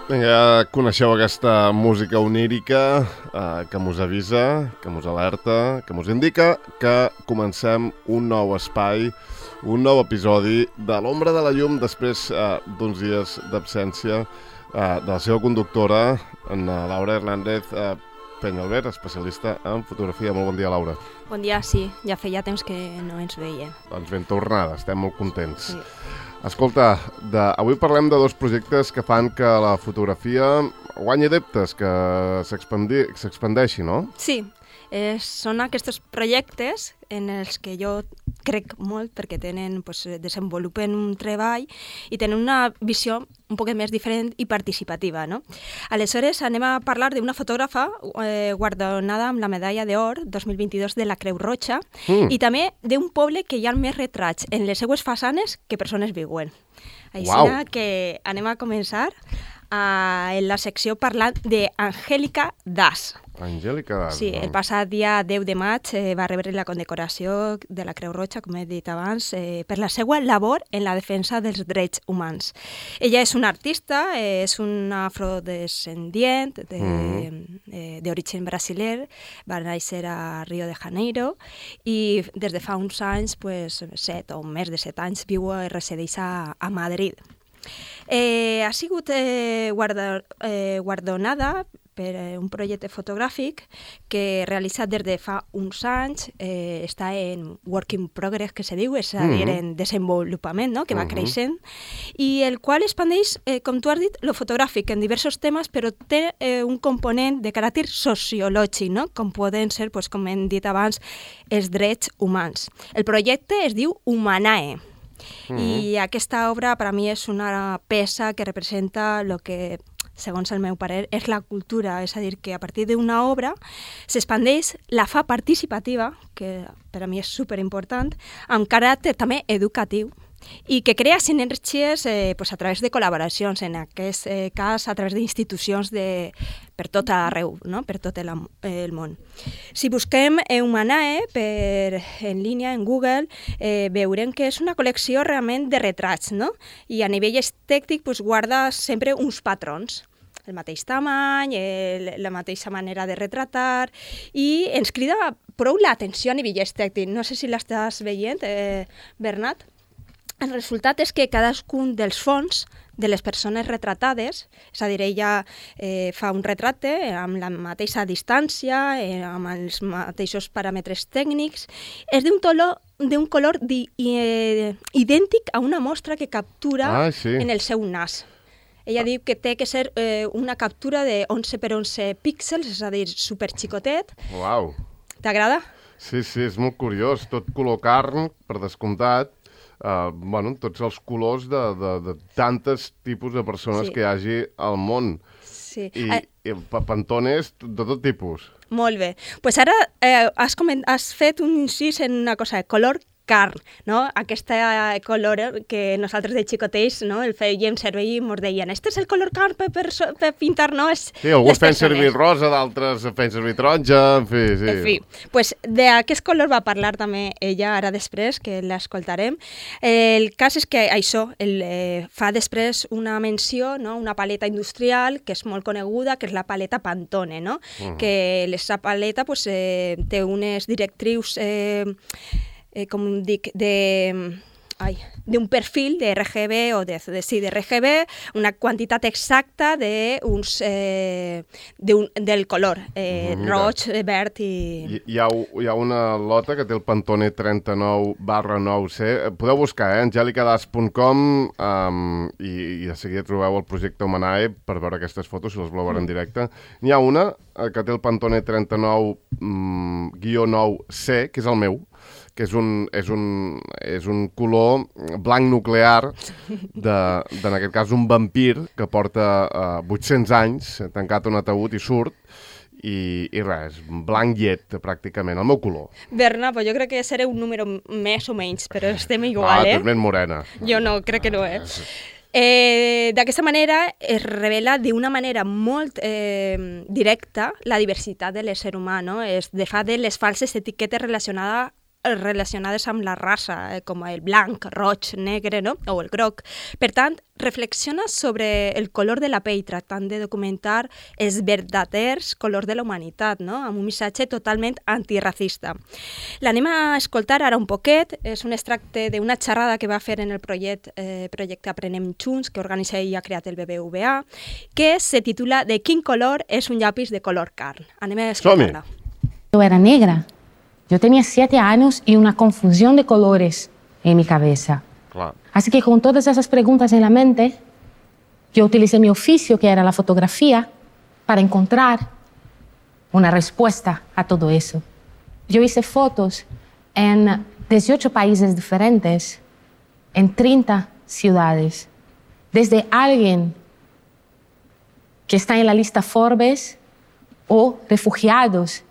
Vinga, coneixeu aquesta música onírica que mos avisa, que mos alerta, que mos indica que comencem un nou espai, un nou episodi de l'Ombra de la Llum després d'uns dies d'absència de la seva conductora, en Laura Hernández Peñalver, especialista en fotografia. Molt bon dia, Laura. Bon dia, sí. Ja feia temps que no ens veiem. Doncs ben tornada, estem molt contents. Sí. Escolta, avui parlem de dos projectes que fan que la fotografia guanyi adeptes, que s'expandeixi, no? Sí, són aquests projectes en els que jo crec molt perquè desenvolupen un treball i tenen una visió un poc més diferent i participativa, no? Aleshores, anem a parlar d'una fotògrafa guardonada amb la medalla d'or 2022 de la Creu Roja i també d'un poble que hi ha més retrats en les seues façanes que persones viuen. Així que anem a començar en la secció parlant d'Angélica Das. Angélica Das. Sí, el passat dia 10 de maig va rebre la condecoració de la Creu Roja, com he dit abans, per la seva labor en la defensa dels drets humans. Ella és una artista, és una afrodescendient d'origen brasiler, va néixer a Rio de Janeiro i des de fa uns anys, 7 o més de 7 anys, viu i resideix a Madrid. Ha sigut guardonada per un projecte fotogràfic que realitza des de fa uns anys, està en work in progress, que se diu, és a dir, en desenvolupament, no? Que va creixent, i el qual expandeix, com tu has dit, lo fotogràfic en diversos temes, però té un component de caràcter sociològic, no? Com poden ser, com hem dit abans, els drets humans. El projecte es diu Humanae, i aquesta obra per a mi és una peça que representa el que, segons el meu parer, és la cultura, és a dir, que a partir d'una obra s'expandeix, la fa participativa, que per a mi és superimportant, amb caràcter també educatiu, i que crea sinergies a través de col·laboracions, en aquest cas a través d'institucions per tot arreu, no? Per tot el món. Si busquem Humanae en línia, en Google, veurem que és una col·lecció realment de retrats, no? I a nivell estètic guarda sempre uns patrons, el mateix tamany, la mateixa manera de retratar, i ens crida prou l'atenció a nivell estètic. No sé si l'estàs veient, Bernat. El resultat és que cadascun dels fons de les persones retratades, és a dir, ella fa un retrate amb la mateixa distància, amb els mateixos paràmetres tècnics, és d'un color idèntic a una mostra que captura en el seu nas. Ella diu que té que ser una captura de 11 per 11 píxels, és a dir, superxicotet. Uau! T'agrada? Sí, és molt curiós. Tot color carn, per descomptat. Tots els colors de tantes tipus de persones que hi hagi al món. Sí. I pantones de tot tipus. Molt bé. Doncs ara has fet un incís en una cosa, color carn, no? Aquest color que nosaltres de xicotets, no? El fèiem servir i ens deien, este és el color carn per pintar, no? Sí, alguns feien servir rosa, d'altres feien servir taronja, en fi, sí. En fi, doncs d'aquest color va parlar també ella ara després, que l'escoltarem. El cas és que això fa després una menció, no? Una paleta industrial que és molt coneguda, que és la paleta Pantone, no? Que aquesta paleta té unes directrius com dic, d'un perfil de RGB o de RGB, una quantitat exacta del color, roig, verd i... Hi ha una lota que té el Pantone 39/9C. Podeu buscar, angelicadas.com, i de seguida trobeu el projecte Humanae per veure aquestes fotos, si les voleu veure en directe. N'hi ha una que té el Pantone 39/9C, que és el meu, que és un color blanc nuclear en aquest cas un vampir que porta 800 anys tancat a un ataúd i surt i res, blanc llet pràcticament, el meu color. Berna, jo crec que seré un número més o menys, però estem igual, tu ets més morena. Jo no, crec que no, D'aquesta manera es revela d'una manera molt directa la diversitat de l'ésser humà, no? Es fa de les falses etiquetes relacionades relacionades amb la raça, com el blanc, roig, negre, no? O el groc. Per tant, reflexiona sobre el color de la pell, tractant de documentar els verdaders colors de la humanitat, no? Amb un missatge totalment antiracista. L'anem a escoltar ara un poquet, és un extracte d'una xerrada que va fer en el projecte Aprenem Junts, que organitza i ha creat el BBVA, que se titula De quin color és un llapis de color carn. Anem a escoltar-la. Yo era negra. Yo tenía 7 años y una confusión de colores en mi cabeza. Clar. Así que con todas esas preguntas en la mente, yo utilicé mi oficio, que era la fotografía, para encontrar una respuesta a todo eso. Yo hice fotos en 18 países diferentes, en 30 ciudades. Desde alguien que está en la lista Forbes o refugiados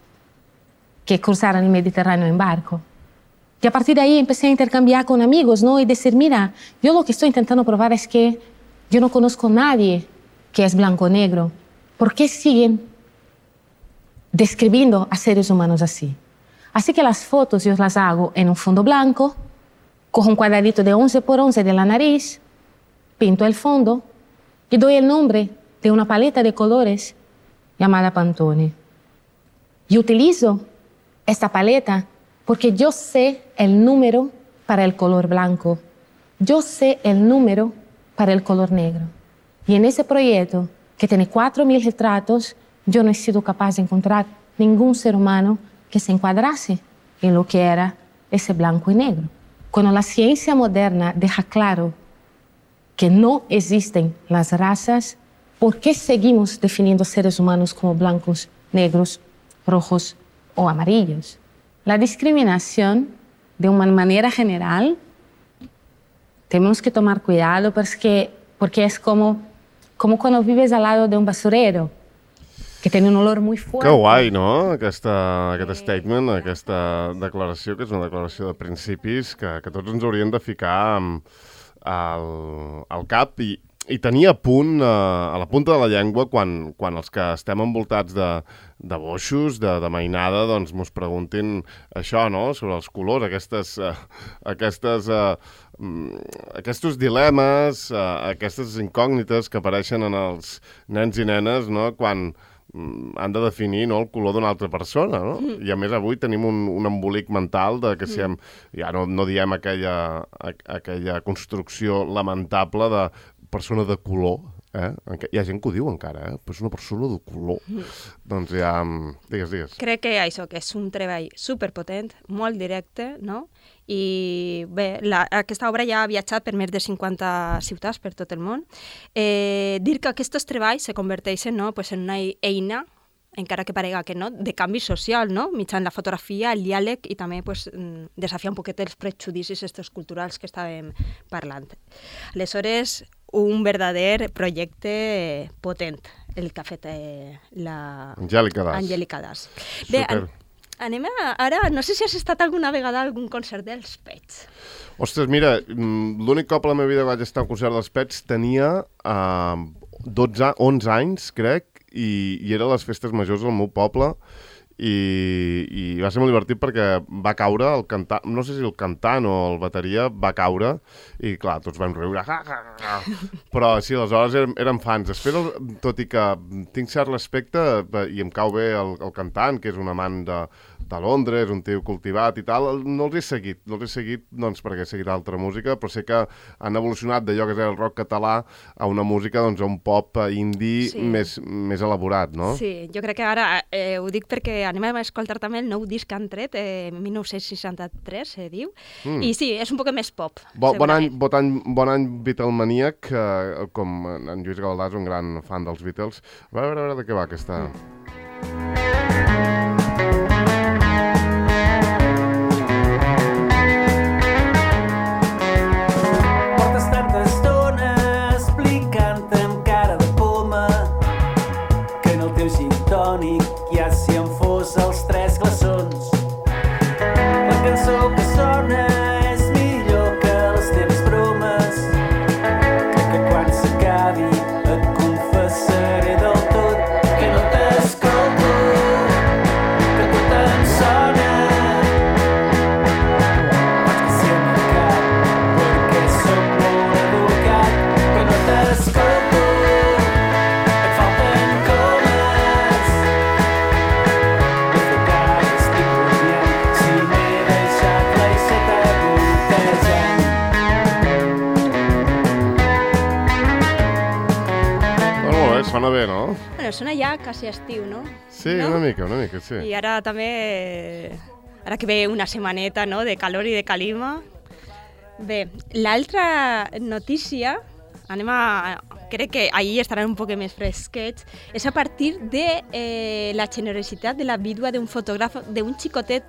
que cruzaron el Mediterráneo en barco. Y a partir de ahí empecé a intercambiar con amigos, ¿no? Y decir, mira, yo lo que estoy intentando probar es que yo no conozco a nadie que es blanco o negro. ¿Por qué siguen describiendo a seres humanos así? Así que las fotos yo las hago en un fondo blanco, cojo un cuadradito de 11 por 11 de la nariz, pinto el fondo y doy el nombre de una paleta de colores llamada Pantone. Y utilizo esta paleta porque yo sé el número para el color blanco, yo sé el número para el color negro. Y en ese proyecto, que tiene 4.000 retratos, yo no he sido capaz de encontrar ningún ser humano que se encuadrase en lo que era ese blanco y negro. Cuando la ciencia moderna deja claro que no existen las razas, ¿por qué seguimos definiendo seres humanos como blancos, negros, rojos o amarillos? La discriminación, de una manera general, tenemos que tomar cuidado porque es como cuando vives al lado de un basurero, que tiene un olor muy fuerte. Que guai, no?, aquest statement, aquesta declaració, que és una declaració de principis que tots ens haurien de ficar al cap i tenir a punt, a la punta de la llengua, quan els que estem envoltats de boixos, de mainada, doncs mos preguntin això, no?, sobre els colors, aquests dilemes, aquestes incògnites que apareixen en els nens i nenes, no?, quan han de definir, no, el color d'una altra persona, no? I a més avui tenim un embolic mental de que si ja no diem aquella construcció lamentable de persona de color, hi ha gent que ho diu encara, però és una persona de color. Doncs ja, digues. Crec que això, que és un treball superpotent, molt directe, no? I bé, aquesta obra ja ha viatjat per més de 50 ciutats per tot el món. Dir que aquests treballs se converteixen, no, pues, en una eina, encara que parega que no, de canvi social, no? Mitjançant la fotografia, el diàleg i també pues, desafiar un poquet els prejudicis estos culturals que estàvem parlant. Aleshores, un verdader projecte potent, el que ha fet Angélica Das. Bé, anem ara, no sé si has estat alguna vegada a algun concert dels Pets. Ostres, mira, l'únic cop a la meva vida que vaig estar a un concert dels Pets tenia 11 anys, crec, i era a les festes majors del meu poble i va ser molt divertit perquè va caure el cantant, no sé si el cantant o el bateria va caure i clar, tots vam riure, però sí, aleshores érem fans. Després, tot i que tinc cert respecte i em cau bé el cantant, que és un amant de Londres, un tio cultivat i tal, no els he seguit doncs perquè he seguit altra música, però sé que han evolucionat d'allò que és el rock català a una música, doncs, a un pop indie més elaborat, no? Sí, jo crec que ara ho dic perquè anem a escoltar també el nou disc que han tret, 1963, se diu, i sí, és un poc més pop. Bon any Beatlemaníac, com en Lluís Gavaldà és un gran fan dels Beatles. A veure de què va aquesta... Bueno, sona ja quasi estiu, no? Sí, no? una mica, sí. I ara també, ara que ve una setmaneta, no?, de calor i de calima. Bé, l'altra notícia, crec que ahir estaran un poc més fresquets, és a partir de la generositat de la vídua d'un fotògraf, d'un xicotet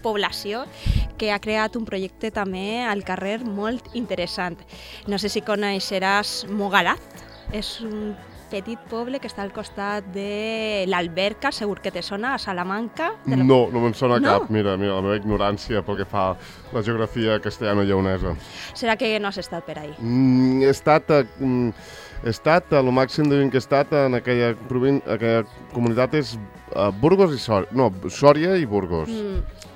població que ha creat un projecte també al carrer molt interessant. No sé si coneixeràs Mogalaz, és un petit poble que està al costat de l'Alberca, segur que te sona, a Salamanca. No me'n sona cap. Mira, la meva ignorància pel que fa a la geografia castellano-lleonesa. Serà que no has estat per ahí? He estat, a lo màxim de que he estat en aquella comunitat és Burgos i Sòria. No, Sòria i Burgos.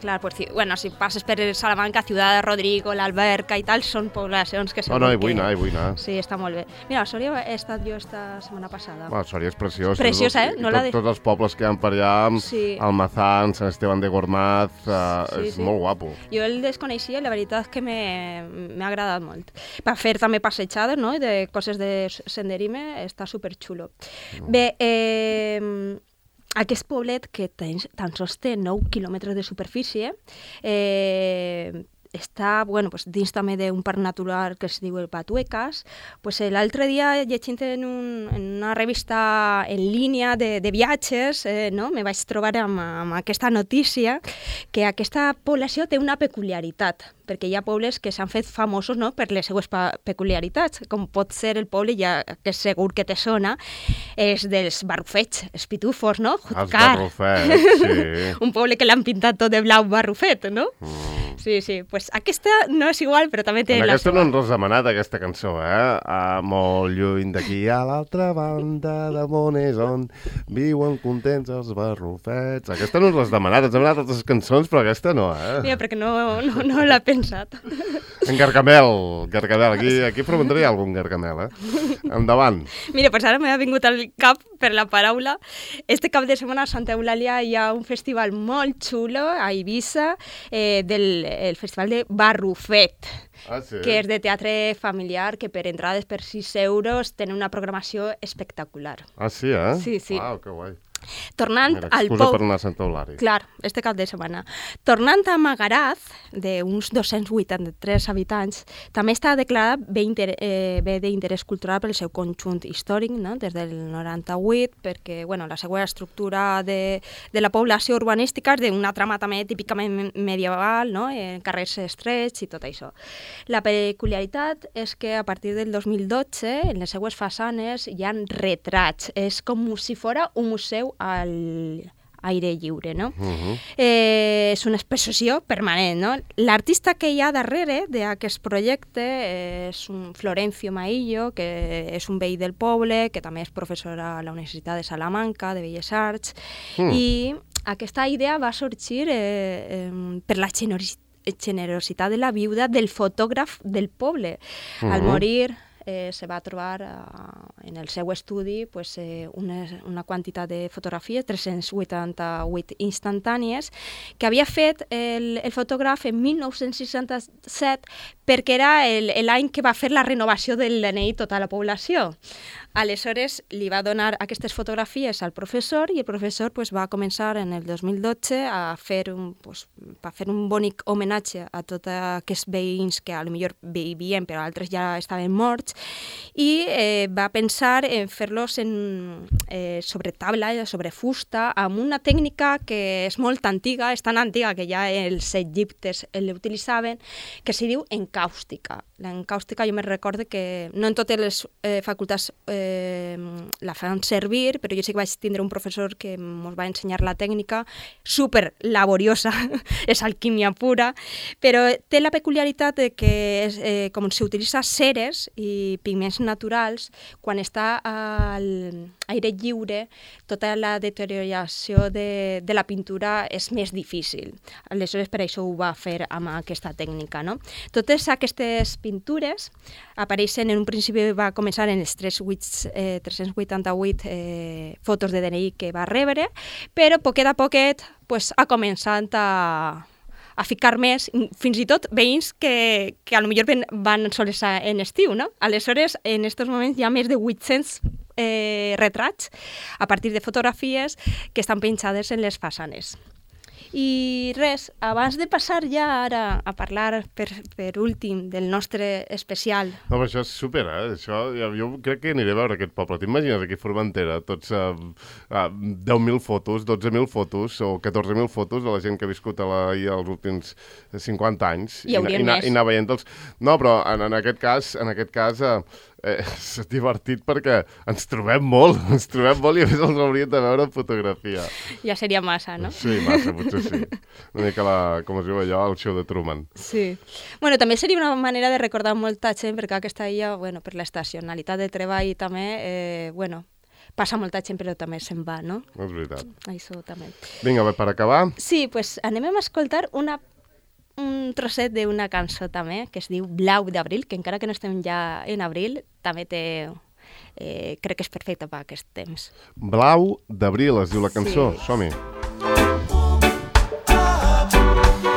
Clar, pues, bueno, si passes per Salamanca, Ciudad de Rodrigo, l'Alberca i tal, són poblacions que segur que... Vull anar. Sí, està molt bé. Mira, a Sòria he estat jo esta setmana passada. Sòria és preciós. Preciosa, Tots els pobles que hi ha per allà, Almazán, Sant Esteban de Gormaz, és molt guapo. Jo el desconeixia i la veritat és que m'ha agradat molt. Per fer també passejades, no?, de coses de senderisme, està superxulo. Bé, aquest poblet, que tan sols té 9 quilòmetres de superfície, està dins també d'un parc natural que es diu el Patuecas. L'altre dia, llegint en una revista en línia de viatges, me vaig trobar amb aquesta notícia que aquesta població té una peculiaritat, perquè hi ha pobles que s'han fet famosos per les seues peculiaritats, com pot ser el poble, ja que segur que te sona, és dels barrufets, els pitufos, no? Els barrufets, sí. Un poble que l'han pintat tot de blau barrufet, no? Sí, pues aquesta no és igual, però també té la seva. Aquesta no ens l'has demanat, aquesta cançó, molt lluny d'aquí a l'altra banda del món és on viuen contents els barrufets. Aquesta no ens l'has demanat, ens hem demanat altres cançons, però aquesta no, Mira, perquè no l'ha pensat. En Gargamel, aquí preguntaria algun Gargamel, Endavant. Mira, pues ara m'ha vingut al cap per la paraula. Este cap de setmana a Santa Eulàlia hi ha un festival molt xulo a Eivissa, el festival de Barrufet, que és de teatre familiar, que per entrades per 6 euros tenen una programació espectacular. Ah, sí, Sí. Uau, que guai. Tornant al excusa per anar a Santa Eulàlia. Clar, este cap de setmana. Tornant a Magaraz, d'uns 283 habitants, també està declarat bé d'interès cultural pel seu conjunt històric, no?, des del 98, perquè la seva estructura de la població urbanística és d'una trama també típicament medieval, no?, en carrers estrets i tot això. La peculiaritat és que a partir del 2012, en les seues façanes hi ha retrats. És com si fos un museu al aire lliure, no? És una exposició permanent, no? L'artista que hi ha darrere d'aquest projecte és un Florencio Maillo, que és un veí del poble, que també és professor a la Universitat de Salamanca, de Belles Arts, i aquesta idea va sorgir per la generositat de la viuda del fotògraf del poble. Al morir se va trobar en el seu estudi una quantitat de fotografies, 388 instantànies, que havia fet el fotògraf en 1967 perquè era l'any que va fer la renovació del DNI tota la població. Aleshores li va donar aquestes fotografies al professor i el professor va començar en el 2012 a fer un bonic homenatge a tots aquests veïns que potser vivien però altres ja estaven morts, i va pensar en fer-los sobre taula, sobre fusta, amb una tècnica que és molt antiga, és tan antiga que ja els egiptes l'utilitzaven, que s'hi diu encàustica. L'encàustica jo me recordo que no en totes les facultats la fan servir, però jo sí que vaig tindre un professor que ens va ensenyar la tècnica, super laboriosa, és alquímia pura, però té la peculiaritat de que com s'utilitza ceres i pigments naturals, quan està a l'aire lliure, tota la deterioració de la pintura és més difícil. Aleshores, per això ho va fer amb aquesta tècnica, no? Totes aquestes pintures apareixen, en un principi va començar en els 388 fotos de DNI que va rebre, però poquet a poquet ha començat a ficar més, fins i tot veïns que potser van sols en estiu, no? Aleshores, en aquests moments hi ha més de 800 retrats a partir de fotografies que estan penjades en les façanes. I res, abans de passar ja ara a parlar per últim del nostre especial. No, però això és super, Això, jo crec que aniré a veure aquest poble. T'imagines aquí a Formentera, tots 10.000 fotos, 12.000 fotos o 14.000 fotos de la gent que ha viscut els últims 50 anys. I hauríem més. I anar veient-los. No, però en aquest cas és divertit perquè ens trobem molt i a més els hauríem de veure en fotografia. Ja seria massa, no? Sí, massa, potser sí. Una mica, com es diu allò, el show de Truman. Sí. Bueno, també seria una manera de recordar molta gent, perquè aquesta illa, bueno, per l'estacionalitat de treball també, passa molta gent, però també se'n va, no? És veritat. Això també. Vinga, per acabar. Sí, doncs anem a escoltar un trosset d'una cançó també, que es diu Blau d'abril, que encara que no estem ja en abril, també crec que és perfecte per aquest temps. Blau d'abril es diu la cançó, sí. Som-hi.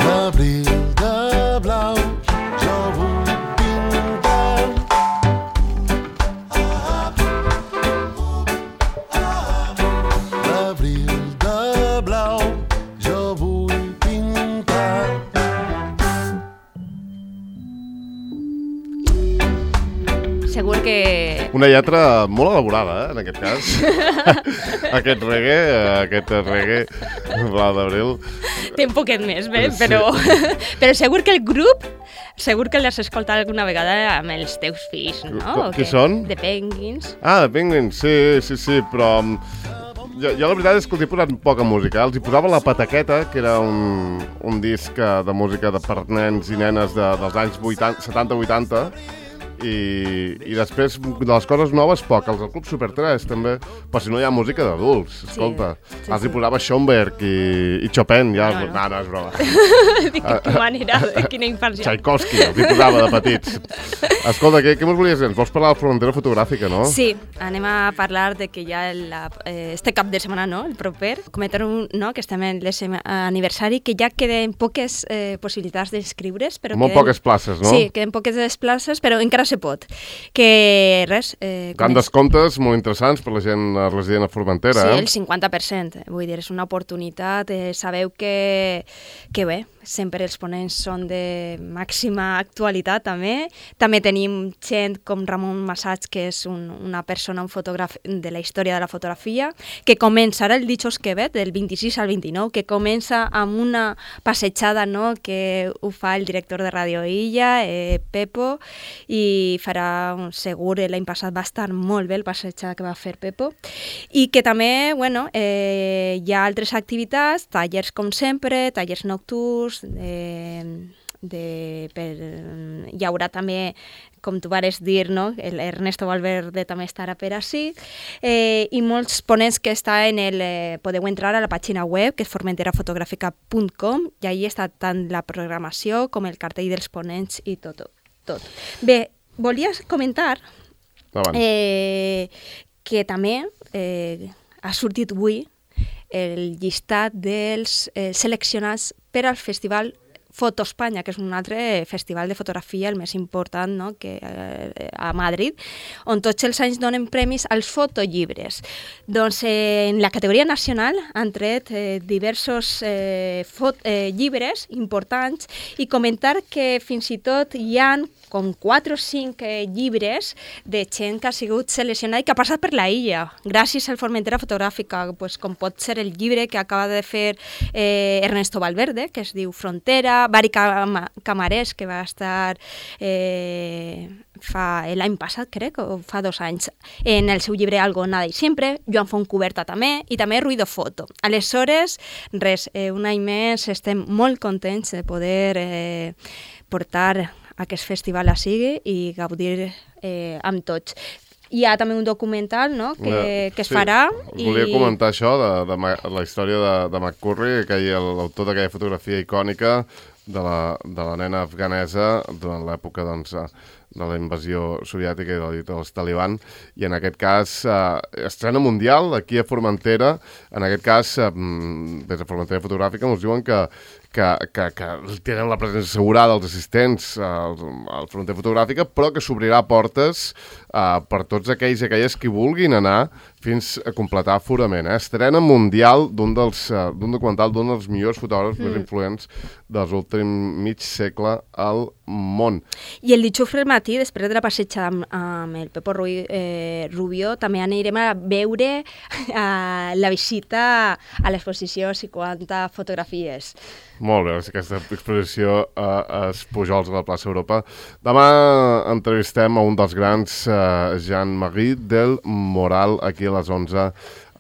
L'abril de blau jo vull pintar. L'abril de blau jo vull pintar. Segur que... Una lletra molt elaborada, en aquest cas. Aquest reggae, Blau d'abril. Té un poquet més, bé, Sí. però segur que el grup, segur que l'has escoltat alguna vegada amb els teus fills, no? Qui són? The Penguins. The Penguins, sí, però... Jo la veritat és que els he posat poca música. Els hi posava La Pataqueta, que era un disc de música per nens i nenes dels anys 70-80, i després de les coses noves poc, els del Club Super 3 també, però si no hi ha música d'adults, escolta, els hi posava Schoenberg i Chopin, ja, no, és broma. De quina manera, de quina infància. Tchaikovsky, els hi posava de petits. Escolta, què ens volies dir? Ens vols parlar de la Formentera fotogràfica, no? Sí, anem a parlar de que ja este cap de setmana, no?, el proper, comentar que estem en l'aniversari, que ja queden poques possibilitats d'inscriure's. Molt poques places, no? Sí, queden poques places, però encara se pot. Que res... Tant descomptes molt interessants per la gent resident a Formentera. Sí, el 50%. Vull dir, és una oportunitat. Sabeu que bé, sempre els ponents són de màxima actualitat, també. També tenim gent com Ramon Massats, que és una persona, un fotògraf de la història de la fotografia, que començarà el dijous que ve, del 26 al 29, que comença amb una passejada, no?, que ho fa el director de Radio Illa, Pepo, i farà, segur, l'any passat va estar molt bé el passejada que va fer Pepo, i que també, hi ha altres activitats, tallers com sempre, tallers nocturns, hi haurà també, com tu vares dir, no?, l'Ernesto Valverde també estarà per ací, i molts ponents que podeu entrar a la pàgina web, que és formenterafotogràfica.com, i allà està tant la programació com el cartell dels ponents i tot. Bé, volia comentar que també ha sortit avui el llistat dels seleccionats per al Festival Foto Espanya, que és un altre festival de fotografia, el més important, no?, que a Madrid, on tots els anys donen premis als fotollibres. Doncs en la categoria nacional han tret diversos llibres importants, i comentar que fins i tot hi ha com 4 o 5 llibres de gent que ha sigut seleccionada i que ha passat per la illa, gràcies al Formentera Fotogràfica, com pot ser el llibre que acaba de fer Ernesto Valverde, que es diu Frontera, Bari Camarés, que va estar l'any passat, crec, o fa 2 anys, en el seu llibre Algo, Nada y Siempre, Joan Fontcuberta també, i també Ruido Foto. Aleshores, res, un any més estem molt contents de poder portar aquest festival a sigui i gaudir amb tots. Hi ha també un documental, no?, que es farà. Volia comentar això, de la història de McCurry, l'autor d'aquella fotografia icònica de la nena afganesa durant l'època, doncs, de la invasió soviètica i dels Taliban, i en aquest cas estrena mundial aquí a Formentera. En aquest cas, des de Formentera Fotogràfica ens diuen que que tenen la presència assegurada dels assistents al fronter fotogràfica, però que s'obrirà portes per tots aquells i aquelles que vulguin anar fins a completar aforament. Estrena mundial d'un documental d'un dels millors fotògrafs més influents dels últims mig segle al món. I el dijous al matí, després de la passejada amb el Pepo Rubio, també anirem a veure la visita a l'exposició 50 fotografies. Molt bé, aquesta exposició als Pujols de la plaça Europa. Demà entrevistem a un dels grans, Jean-Marie del Moral, aquí a les 11,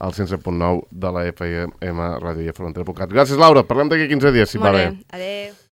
al 107.9 de la FM Ràdio i Frontera.cat. Gràcies, Laura. Parlem d'aquí 15 dies, si va bé. Adéu.